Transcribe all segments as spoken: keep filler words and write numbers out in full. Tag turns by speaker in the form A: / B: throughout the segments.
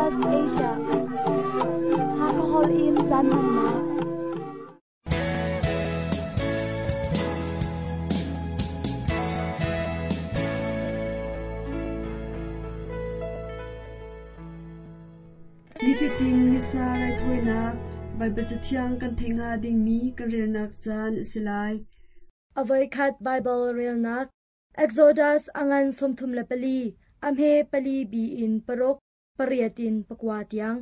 A: S B S Asia. Hakahol in caan hmannak.
B: Nifatin Missa raithawinak Baibal Cathiang kan theih hnga dingmi kan relnak caan a si lai.
C: Avoikhat Bible relnak Exodus angan sawmthum le pali amhe pali bi in paruk pariat in pakua tiang.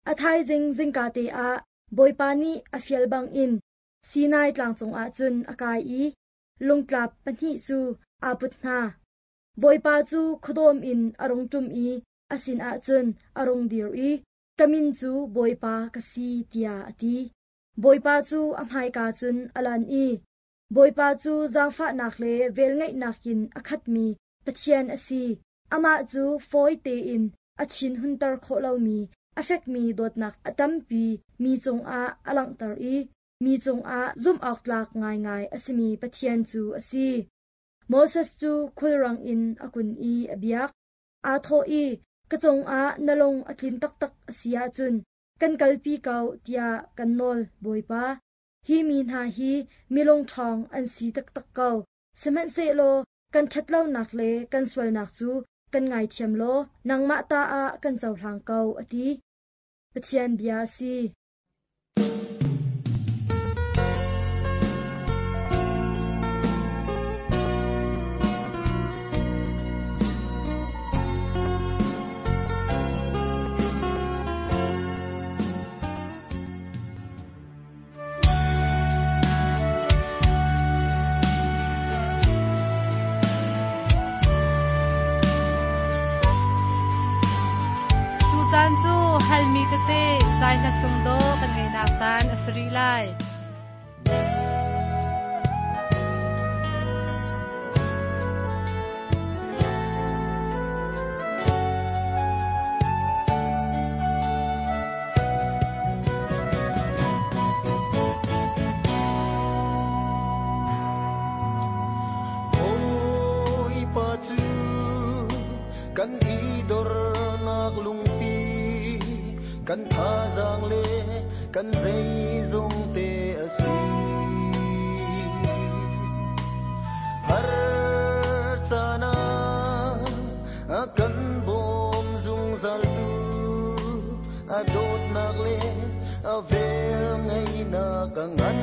C: A thaizing zingka te ah Bawipa nih a fial bang in Sinai tlang cungah cun a kai i lungtlap pahnih cu aa put hna. Bawipa cu khuadawm in a rung ṭum i a sinah cun a rung dir i ka min cu Bawipa ka si tiah a ti. Bawipa cu a hmaika cun a lan i Bawipa cu zaangfahnak le velngeihnak in a khatmi Pathian a si. Amah cu fawi tein a thin hunter khawh lomi a fekmi dawtnak a tampi mi cungah a langhter i mi cungah zumhawktlak ngaingai a simi Pathian cu a si. Moses cu khulrang in a kun i a biak. Aa thawh i ka cungah na lung a tlin taktak a si ahcun kan kalpi ko tiah kan nawl Bawipa. Hi mi hna hi milung ṭhawng an si taktak ko. Sihmanhsehlaw kan ṭhatlonak le kan sualnak cu kan ngaithiam law nangmah ta ah kan cohlang ko a ti. Pathian bia a si.
D: Caan cu halmi tete zai hla sung do kan ngeinak caan a si rih lai.
E: Bawipa cu kan i dornak lungpi, kan thazaang le kan zeizong te a si. Har caan ah a kan bawm zungzal tu, a dawtnak le a vel ngeihnak a ngan.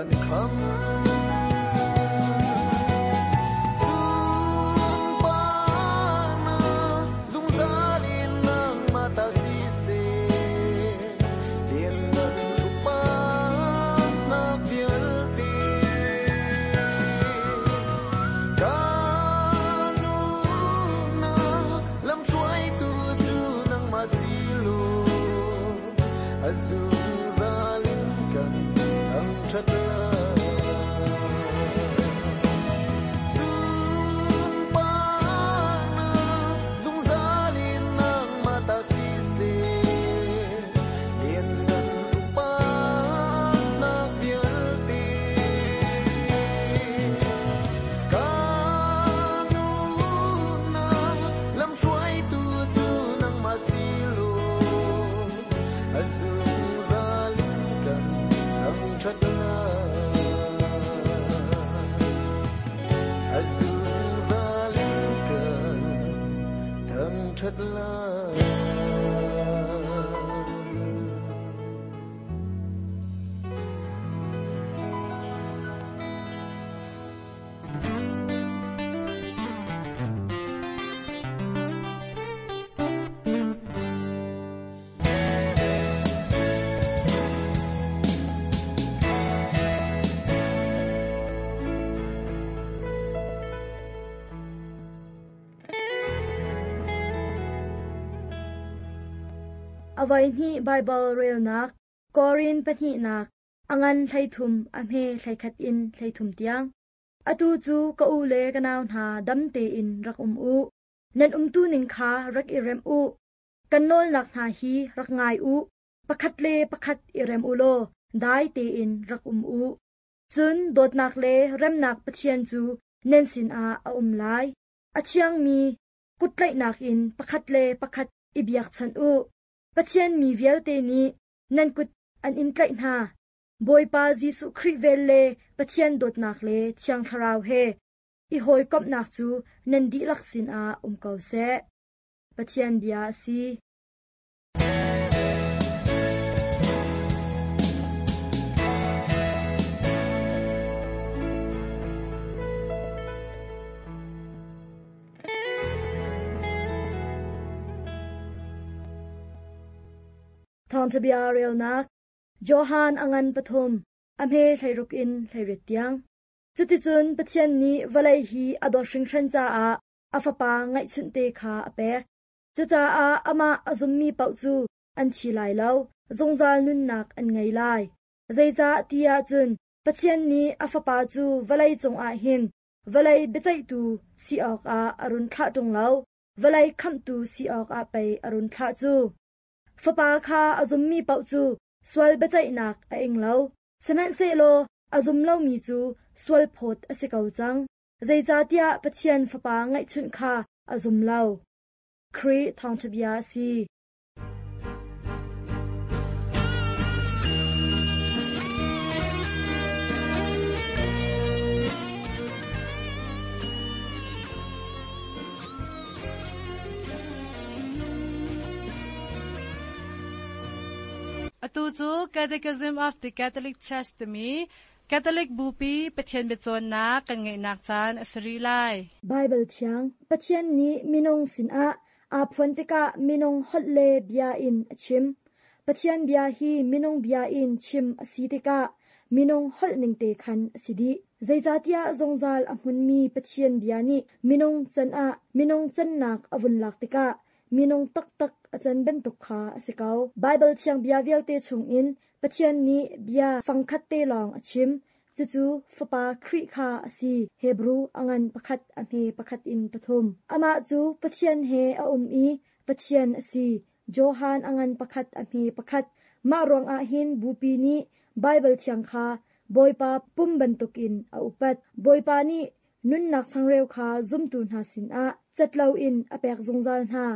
E: Kan kham
C: Avai ni Bible relnak Korin pahnih nak angan thlaithum a hme thlaikhat in thlaithum tiang. Atu cu ka u le ka nau hna dam tein rak um u. Nan umtu ning kha rak i rem u. Kan nawlnak hna hi rak ngai u. Pakhat le pakhat i rem u law dai tein rak um u. Cun dawtnak le remnak Pathian cu nan sinah a um lai. A thiangmi kutlaihnak in pakhat le pakhat i biakchanh u. Pathian mi vialte nih nan kut an in tlaih hna. Bawipa Jesuh Khrih vel le Pathian dawtnak le Thiang Thlarau he i hawikomhnak cu nan dihlak sinah um ko seh. Pathian bia a si. Thawngṭhabia relnak Johan angan pathum a hme thlairuk in thlairit tiang. Cuticun Pathian nih vawlei hi a dawt hringhran caah a fapa ngaihchunh te kha a pek. Cucaah amah a zummi paoh cu an thi lai lo, zungzal nunnak an ngei lai. Zeicah tiah cun Pathian nih a fapa cu vawlei cungah hin vawlei biaceihtu si awkah a run thlah ṭung lo, vawlei khamhtu si awkah pei a run thlah cu. Fapa kha a zummi paoh cu sual biaceihnak a ing lo. Sihmanhsehlaw a zum lomi cu sual phawt a si ko cang. Zeicahtiah Pathian fapa ngaihchunh kha a zum lo. Khrih thawngṭhabia a si.
D: Atu cu Catechism of the Catholic Church timi Catholic Bupi Pathian biacawnnak kan ngeihnak caan a si rih lai.
C: Bible thiang Pathian nih minung sinah aa phuan tikah minung holh le bia in a chim. Pathian bia hi minung bia in chim a si tikah minung holh ning te khan a si dih. Zeicahtiah zungzal a hmunmi Pathian bia nih minung can ah minung cannak a vun lak tikah minung taktak a can bantuk kha a si ko. Bible thiang bia vialte chungin Pathian nih bia fangkhat te lawng a chim. Cucu Fapa Khrih kha a si. Hebrew angan pakhat a hme pakhat in pathum. Amah cu Pathian he a um i Pathian a si. Johan angan pakhat a hme pakhat. Mah ruangah hin Bupi nih Bible thiang kha Bawipa pum bantukin a upat. Bawipa nih nunnak changreu kha zumtu hna sinah cat loin a pek zungzal hna.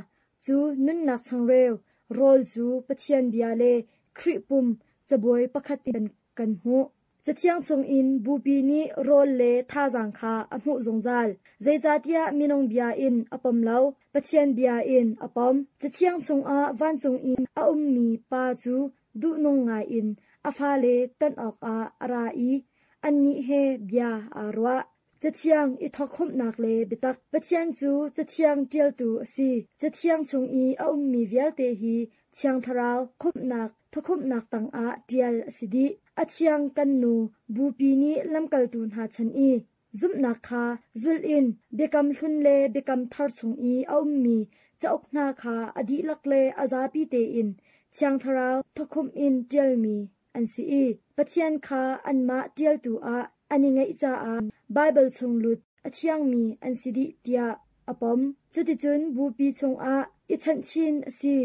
C: Cu nunnak changreu rawl cu Pathian bia le Khrih pum cabuai pakhat in kan hmuh. Cathiang chungin Bupi nih rawl le thazaang kha a hmuh zungzal. Zeicahtiah minung bia in a pom lo, Pathian bia in a pom. Cathiang chungah vancung in a ummi pa cu duhnung ngaiin a fale ton awkah a ra i Annih he bia aa ruah. Cathiang i thawkkhumhnak le biatak. Pathian cu Cathiang ṭialtu a si. Cathiang chung i a ummi vialte hi Thiang Thlarau khumhnak thawkhumhnak tangah ṭial a si dih. A thiang kan nu Bupi nih lamkaltu hna chan i zumhnak kha zulh in biakam hlun le biakam thar chung i a ummi cauk hna kha a dihlak le a zapi tein Thiang Thlarau thawkhumh in ṭialmi an si i Pathian kha anmah ṭialtu ah an i ngeih caah Baibal chung lut a thiangmi an si dih tiah a pom. Cuticun Bupi chungah i chanhchin a si.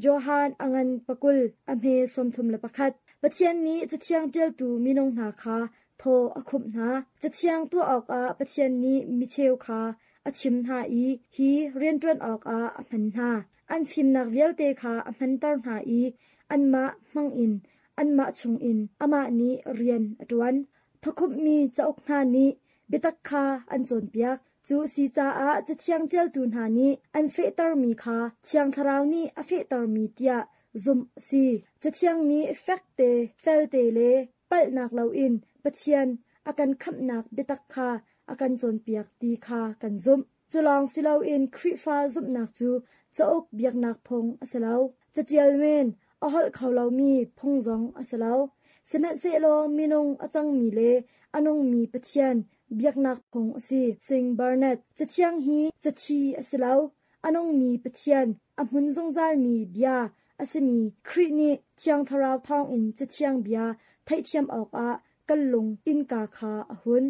C: Johan a ngan pakul a hme sawmthum le pakhat. Pathian nih Cathiang ṭialtu minung hna kha thaw a khumh hna. Cathiang tuah awkah Pathian nih micheu kha a chim hna i hi rianṭuan awkah a hman hna. An fimnak vialte kha a hmanter hna i anmah hmangin anmah chungin amah nih rian a ṭuan. Thawkhumhmi cauk hna nih biatak kha an cawnpiak. Cu a si caah Cathiang ṭialtu hna nih an fehtermi kha Thiang Thlarau nih a fehtermi tiah zumh a si. Cathiang nih fekte, felte le palhnak loin Pathian a kan khamhnak biatak kha a kan cawnpiak ti kha kan zumh. Cu lawng si loin Khrihfa zumhnak cu cauk biaknak phung a si lo. Caṭial men a holh kho lomi phung zong a si lo. Sihmanhsehlaw minung a cangmi le a nungmi Pathian biaknak phung a si. Sing Barnett. Cathiang hi cathi a si lo. A nungmi Pathian a hmun zungzalmi bia a simi Khrih nih Thiang Thlarau thawngin Cathiang bia theihthiam awkah kan lung innka kha a hun.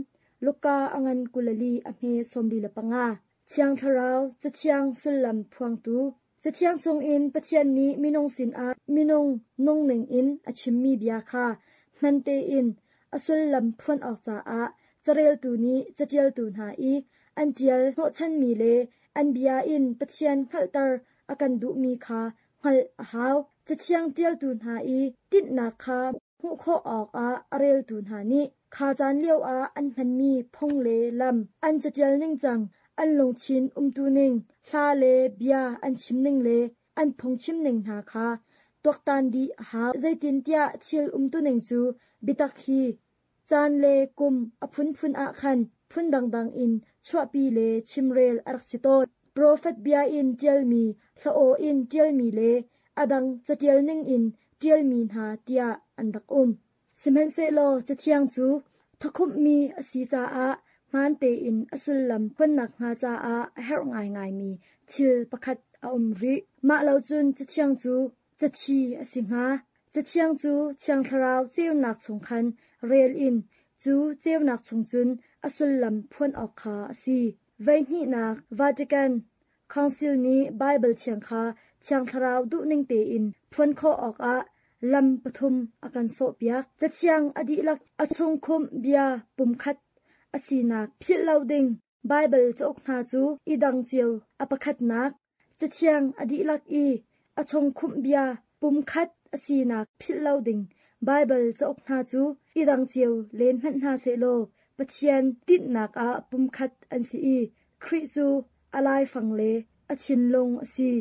C: Luka a ngan kulali a hme sawmli le panga. Thiang Thlarau Cathiang sullam phuangtu. Cathiang chungin Pathian nih minung sinah minung nungning in a chimmi bia kha hman tein a sullam phuan awk caah careltu nih caṭialtu hna i an ṭial hnawhchanmi le an bia in Pathian hngalhter a kan duhmi kha hngalh a hau. Cathiang ṭialtu hna i tinhnak kha hmuh khawh awkah a reltu hna nih kha caan lioah an hmanmi phung le lam, an caṭial ningcang, an lungthin umtuning, hla le bia an chimning le an phungchimning hna kha tuaktan dih a hau. Zeitintiah thil umtuning cu biatak hi caan le kum a phunphun ah khan phun dangdang in chuahpi le chimrel a rak si tawn. Profet bia in ṭialmi, hla aw in ṭialmi le a dang caṭial ningin ṭialmi hna tiah an rak um. Sihmanhsehlaw Cathiang cu thawkhumhmi a si caah hmaan tein a sullam phuannak hnga caah a herh ngaingaimi thil pakhat a um rih. Mah lo cun Cathiang cu cathi a si hnga. Cathiang cu Thiang Thlarau ceunak chung khan rel in cu ceunak chung cun a sullam phuan awk kha a si. Voihnihnak Vatican Council nih Baibal Thiang kha Thiang Thlarau duhning tein phuan khawh awkah lam pathum a kan sawhpiak. Cathiang a dihlak a chungkhumh bia pumkhat a sinak philh lo ding Baibal cauk hna cu i dang cio a pakhatnak. Cathiang a dihlak i a chungkhumh bia pumkhat a sinak philh lo ding Baibal cauk hna cu i dang cio len hmanh hna sehlaw Pathian tinhnak ah pumkhat an si i Khrih cu a laifang le a thinlung a si.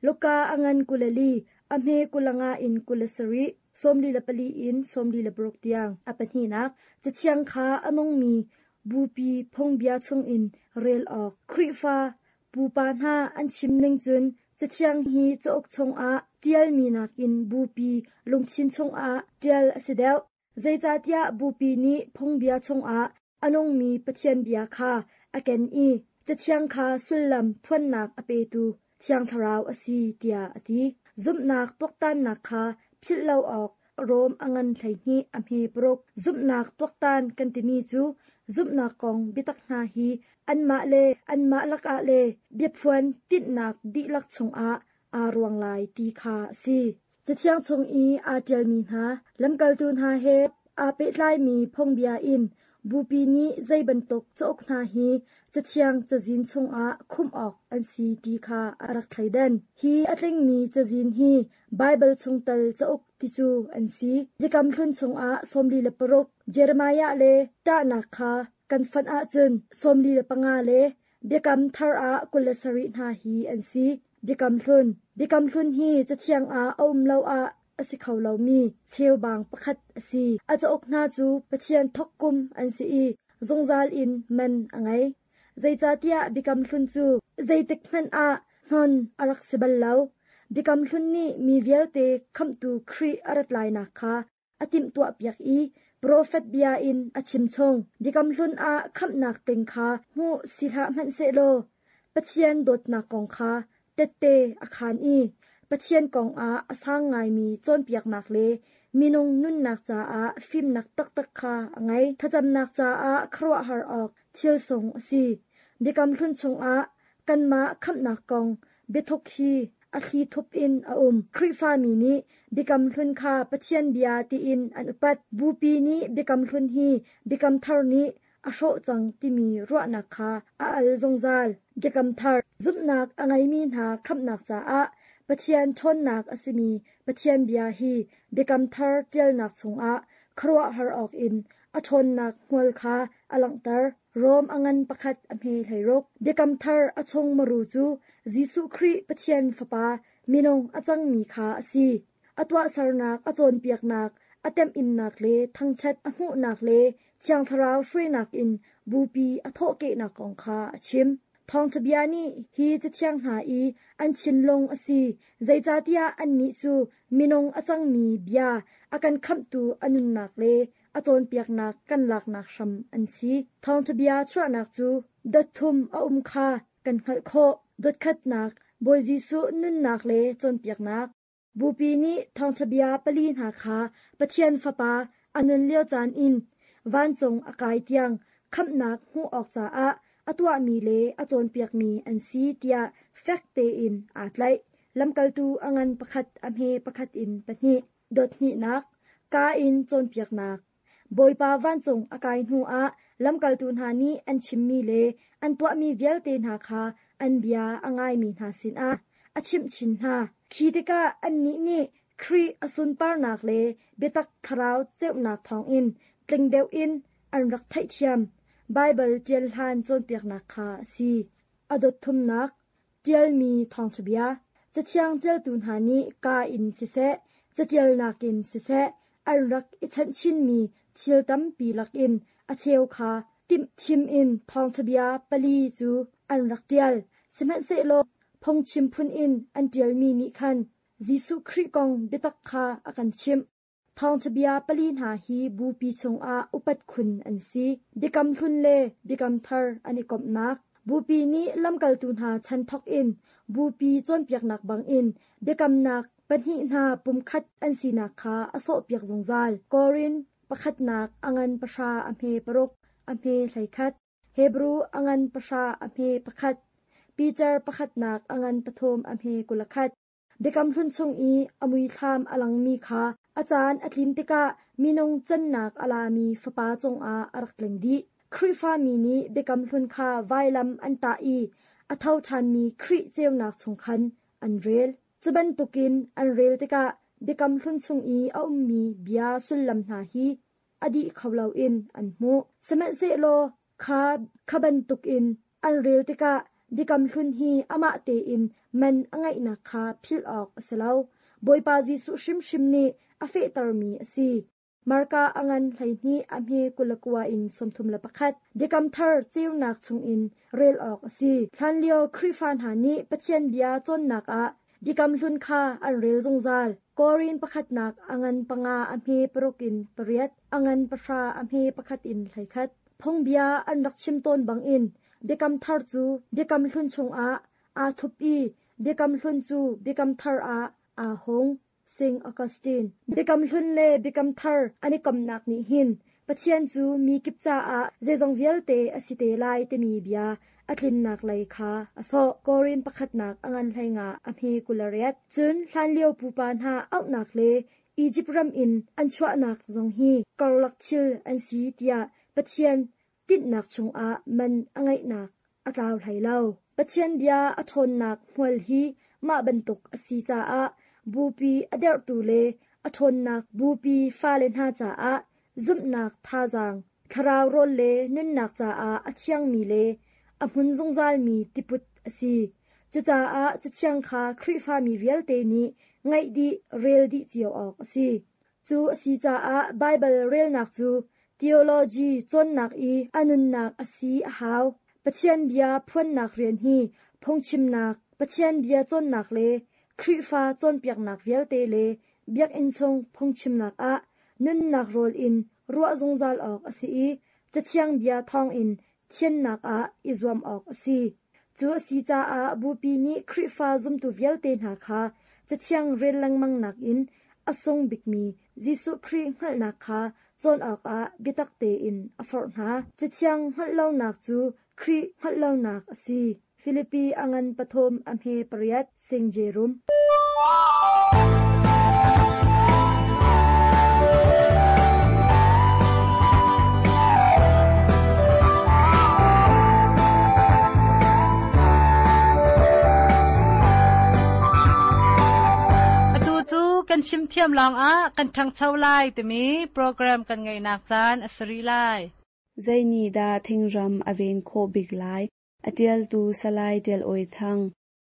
C: Luka a ngan kulali a hme kulanga in kula sarih sawmli le pali in sawmli le paruk tiang. A pahnihnak Cathiang kha a nungmi Bupi phungbia chungin rel awk. Khrihfa pupa hna an chim ning cun Cathiang hi cauk chungah ṭialmi nakin Bupi lungthin chungah ṭial a si deuh. Zeicahtiah Bupi nih phungbia chungah a nungmi Pathian bia kha a ken i Cathiang kha sullam phuannak a petu Thiang Thlarau a si tiah a ti. Zumhnak tuaktannak kha philh lo awk Rom a ngan hleihnih a hme paruk. Zumhnak tuaktan kan timi cu zumhnak kong biatak hna hi anmah le anmah lakah le biaphuan tinhnak dihlak chungah aa ruang lai ti kha a si. Cathiang chung i aa ṭialmi hna lamkaltu hna he aa pehtlaimi phungbia in Bupi nih zei bantuk cauk hna hi Cathiang cazin chungah khumh awk an si ti kha a rak thleidan. Hi a tlingmi cazin hi Baibal chungtel cauk ti cu an si. Biakam Hlun chungah sawmli le paruk, Jeremiah le Ṭahnak kha kan fonh ahcun sawmli le panga le Biakam Thar ah kul le sarih hna hi an si. Biakam Hlun Biakam Hlun hi Cathiang ah a um lo ah a si kho lomi cheubang pakhat a si. A cauk hna cu Pathian thawkkum an si i zungzal in man a ngei. Zeicahtiah Biakam Hlun cu zeitik hmanh ah hnon a rak si bal lo. Biakam Hlun nih mi vialte khamhtu Khrih a rat lainak kha a timhtuahpiak i profet bia in a chimchung. Biakam Hlun ah khamhnak tling kha hmuh si hlah hmanhsehlaw Pathian dawtnak kong kha tette a khaan i Pathian kong ah a sang ngaimi cawnpiaknak le minung nunnak caah fimnak taktak kha a ngei. Thlacamnak caah khuaruahhar awk thil sung a si. Biakam Hlun chungah kanmah khamhnak kong biathuk hi a thli thup in a um. Khrihfami nih Biakam Hlun kha Pathian bia tiin an upat. Bupi nih Biakam Hlun hi Biakam Thar nih a hrawh cang timi ruahnak kha a al zungzal. Biakam Thar zumhnak a ngeimi hna khamhnak caah Pathian ṭhawnnak a simi Pathian bia hi Biakam Thar ṭialnak chungah khuaruahhar awkin a ṭhawnnak hmual kha a langhter. Rom a ngan pakhat a hme hleiruk. Biakam Thar a chung maru cu Jesuh Khrih Pathian Fapa minung a cangmi kha a si. A tuahsernak, a cawnpiaknak, a temhinnak le thangṭhat a hmuhnak le Thiang Thlarau hruainak in bupi a thawhkehnak kong kha a chim. Thawngṭha bia nih hi cathiang hna i an thinlung a si, zeicahtiah annih cu minung a cangmi bia a kan khamhtu a nunnak le a cawnpiaknak kan laknak hram an si. Thawngṭha bia chuahnak cu dot thum a um kha kan hngalh khawh. Dot khatnak, Bawi Jesuh nunnak le cawnpiaknak. Bupi nih thawngṭha bia pali hna kha Pathian Fapa a nun lio caan in vancung a kai tiang khamhnak hmuh awk caah a tuahmi le a cawnpiakmi an si tiah fek tein aa tlaih. Lamkaltu a ngan pakhat a hme pakhat in pahnih. Dot hnihnak, kaa in cawnpiaknak. Bawipa vancung a kai hnuah lamkaltu hna nih an chimmi le an tuahmi vialte hna kha an bia a ngaimi hna sinah a chimh chin hna. Khi tikah annih nih Khrih a sunparnak le biatak thlarau ceunak thawngin tling deuh in an rak theihthiam. Baibal ṭial hlan cawnpiaknak kha a si. A dot thumnak, ṭialmi thawngṭha bia. Cathiang ṭialtu hna nih kaa in siseh, caṭialnak in siseh, an rak i chanhchinmi thil tampi lakin a cheu kha timhthim in thawngṭha bia pali cu an rak ṭial. Sihmanhsehlaw phungchim phun in an ṭialmi nih khan Jesuh Khrih kong biatak kha a kan chimh. Thawngṭha bia pali hna hi bupi chungah upat khun an si. Biakam Hlun le Biakam Thar an i komhnak. Bupi nih lamkaltu hna chan thawk in bupi cawnpiaknak bangin biakamnak pahnih hna pumkhat an sinak kha a sawhpiak zungzal. Korin pakhatnak a ngan pahra a hme paruk a hme hleikhat. Hebru a ngan pahra a hme pakhat. Peter pakhatnak a ngan pathum a hme kulakhat. Biakam Hlun chung i a muithlam a langmi kha a caan a tlin tikah minung cannak a lami Fapa cungah a rak tling dih. Khrihfami nih Biakam Hlun kha vailam an tah i a tho ṭhanmi Khrih ceunak chung khan an rel. Cu bantukin an rel tikah Biakam Hlun chung i a ummi bia sullam hna hi a dih kho loin an hmuh. Sihmanhsehlaw kha kha bantukin an rel tikah Biakam Hlun hi amah tein man a ngeihnak kha philh awk a si lo. Bawipa Jesuh hrimhrim nih a fehtermi a si. Marka a ngan hleihnih a hme kulakua in sawmthum le pakhat. Biakam Thar ceunak chungin rel awk a si. Hlanlio Khrihfa hna nih Pathian bia cawnnak ah Biakam Hlun kha an rel zungzal. Korin pakhatnak a ngan panga a hme paruk in pariat, a ngan pahra a hme pakhat in hleikhat. Phungbia an rak chim tawn bangin Biakam Thar cu Biakam Hlun chungah aa thup i Biakam Hlun cu Biakam Thar ah aa hung. Saint Augustine. Biakam Hlun le Biakam Thar an i komhnak nih hin Pathian cu mi kip caah zeizong vialte a si te lai timi bia a tlinnak lei kha a sawh. Korin pakhatnak a ngan hleinga a hme kulariat. Cun hlanlio pupa hna auhnak le Egypt ram in an chuahnak zong hi karlak thil an si tiah Pathian tinhnak chungah man a ngeihnak a tlau hlei lo. Pathian bia a ṭhawnnak hmual hi mah bantuk a si caah bupi a derhtu le a ṭhawnnak bupi fale hna caah zumhnak thazaang, thlarau rawl le nunnak caah a thiangmi le a hmun zungzalmi tiput a si. Cucaah cathiang kha Khrihfami vialte nih Ngaih dih rel dih cio awk a si. Cu a si caah Baibal relnak cu theology cawnnak i a nunnak a si a hau. Pathian bia phuannak rian hi phungchimnak, Pathian bia cawnnak le Khrihfa cawnpiaknak vialte le biakinn chung phungchimnak ah nunnak rawl in ruah zungzal awk a si i Cathiang bia thawngin thiannak ah i zuam awk a si. Cu a si caah Bupi nih Khrihfa zumtu vialte hna kha Cathiang rel lengmang nakin a sung bikmi Jesuh Khrih hngalhnak kha cawn awkah biatak tein a forh hna. Cathiang hngalh lonak cu Khrih hngalh lonak a si. Filipi a ngan pathum a hme pariat Sing Jerum.
D: Atu cu kan chim thiam lawngah kan ṭhangcho lai timi program kan ngeihnak caan a si rih lai.
F: Zei dah thingram a ven khawh bik lai? A ṭialtu Salai Ṭial Awi Thang.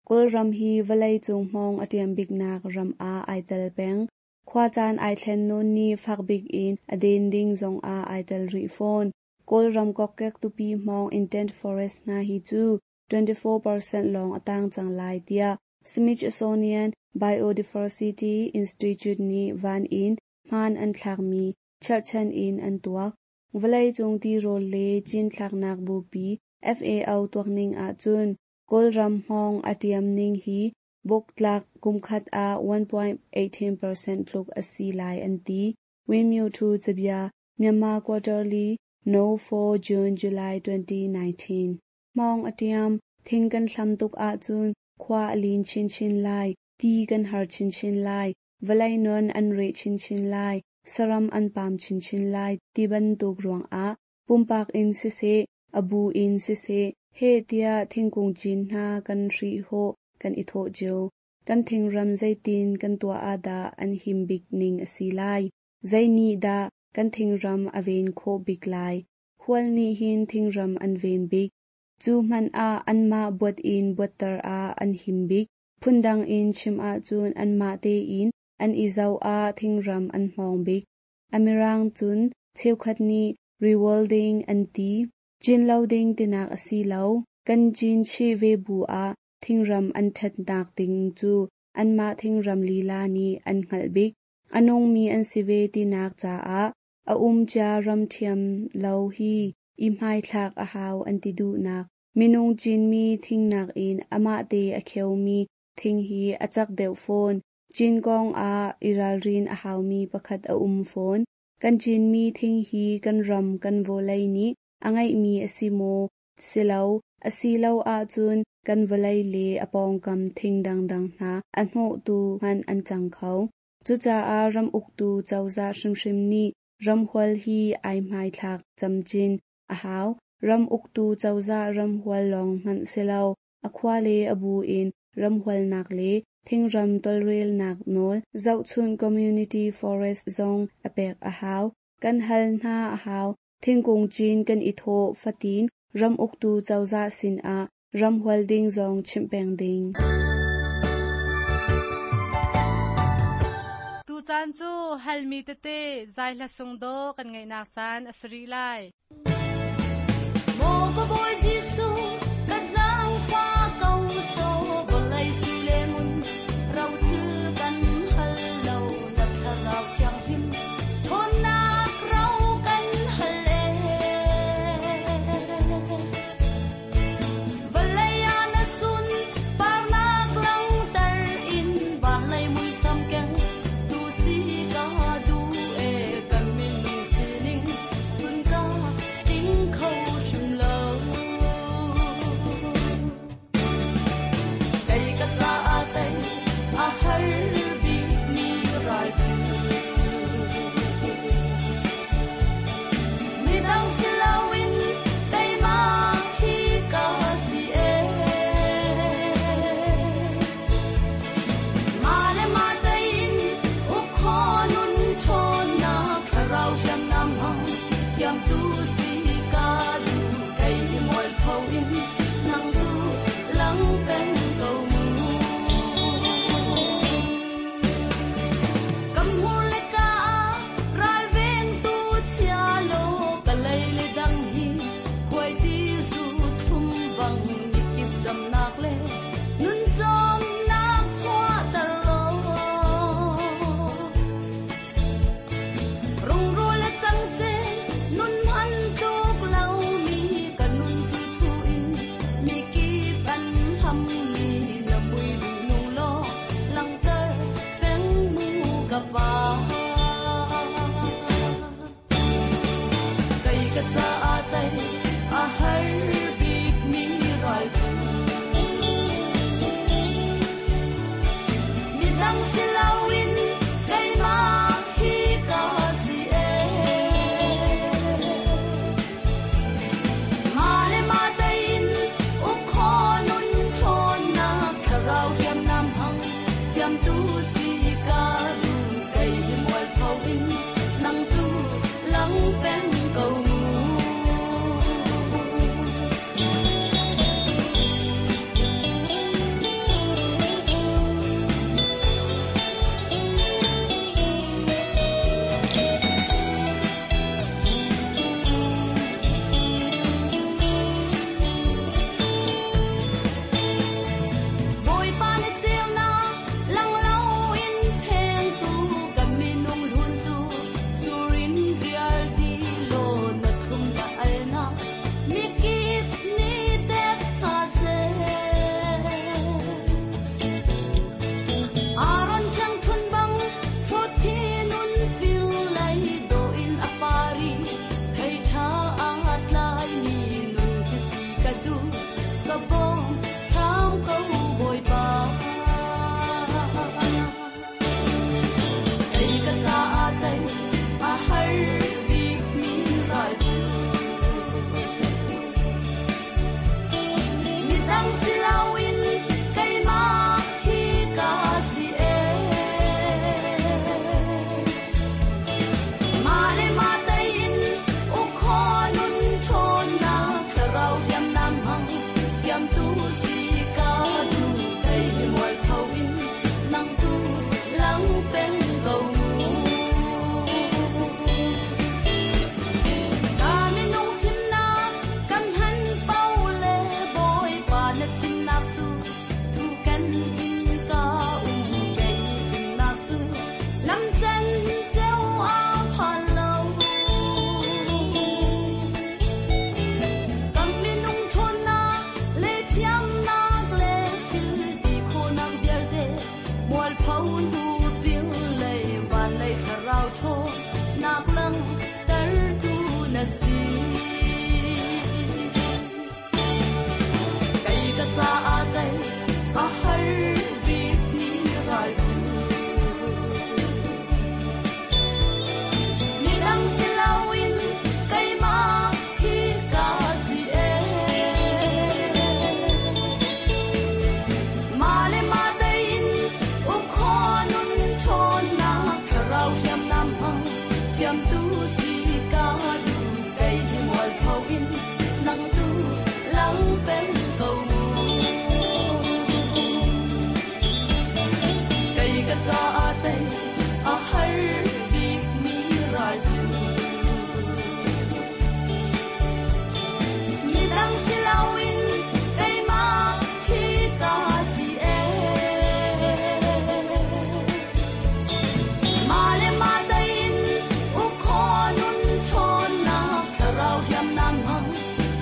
F: Kawlram hi vawlei cung hmawng a ṭiam biknak ram ah ai tel peng. Khua caan ai thlen nawn ni fak bik in a den ding zongah ai tel rih fawn. Kawlram kokkek tupi hmawng intact forest hna hi cu twenty-four percent lawng a tang cang lai tiah Smithsonian Biodiversity Institute nih van in hmaan an thlakmi cherhchan in an tuak. Vawlei cung tirawl le cinthlaknak bupi F A O tuakning ahcun Kawlram hmawng a ṭiam ning hi buktlak kumkhat ah one point eight percent tluk a si lai an ti. Winmyo Thu cabia Myanmar Quarterly No four June July twenty nineteen. Hmawng a ṭiam thing kan hlam tuk ahcun khua a lin chinchin lai, ti kan har chinchin lai, vawlei non an reh chinchin lai, saram an pam chinchin lai ti bantuk ruangah pumpak in siseh, a bu in siseh, he tiah thingkung cin hna kan hri hawh kan i thawh cio. Kan thingram zeitin kan tuah ah dah an him bik ning a si lai. Zei nih dah kan thingram a ven khawh bik lai. Hual nih hin thingram an ven bik. Cu hmanh ah anmah buat in buatter ah an him bik. Phundang in chim ahcun anmah tein an i zoh ah thingram an hmawng bik. Amirang cun cheukhat nih rewilding an ti. Cin lo ding tinak a si lo. Kan cin chih ve bu ah thingram an ṭhatnak ding cu anmah thingram lila nih an hngalh bik. A nungmi an si ve tinak caah a um cia ram ṭhiam lo hi i hmaithlak a hau an ti duhnak. Minung cinmi thingnak in amah te a kheumi thing hi a cak deuh fawn. Cin kong ah i ralrin a haumi pakhat a um fawn. Kan cinmi thing hi kan ram kan vawlei nih a ngeihmi a si maw? Si lo. A si lo ahcun kan vawlei le a pawngkam thing dangdang hna a hnawhtu hmanh an cang kho. Cucaah ram uktu cozah hrimhrim nih ramhual hi ai hmaithlak camcin a hau. Ram uktu cozah ramhual lawng hmanh si lo. A khua le a bu in ramhualnak le thingram tawlrelnak nawl zohchun community forest zong a pek a hau. Kan hal hna a hau. Thingkung cin kan i thawh fatin ram uktu cozah sinah ramhual ding zong chimh peng ding.
D: Tu caan cu halmi tete zai hla sung do kan ngeihnak caan a si rih lai.
A: Maw ka Bawi Jesuh, ka zaangfa ko so, vawlei sui le ngun, ro thil kan hal lo, na thlarau thianghlim, ṭhawnnak ro kan hal e. Vawlei ah na sun, parnak langhter in, van lei muisam keng, tu si ka duh e, kan minung sining, cun ka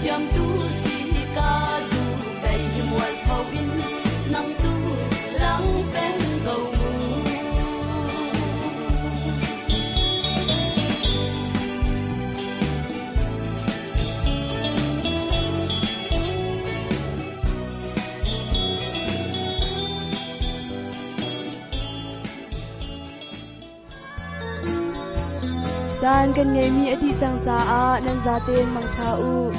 A: Ngaihthiam tu si ka du kei hi mual pho in nang tu lang peng ko mu.
B: Caan kan ngeimi a dih cang caah nan zaten mangtha u.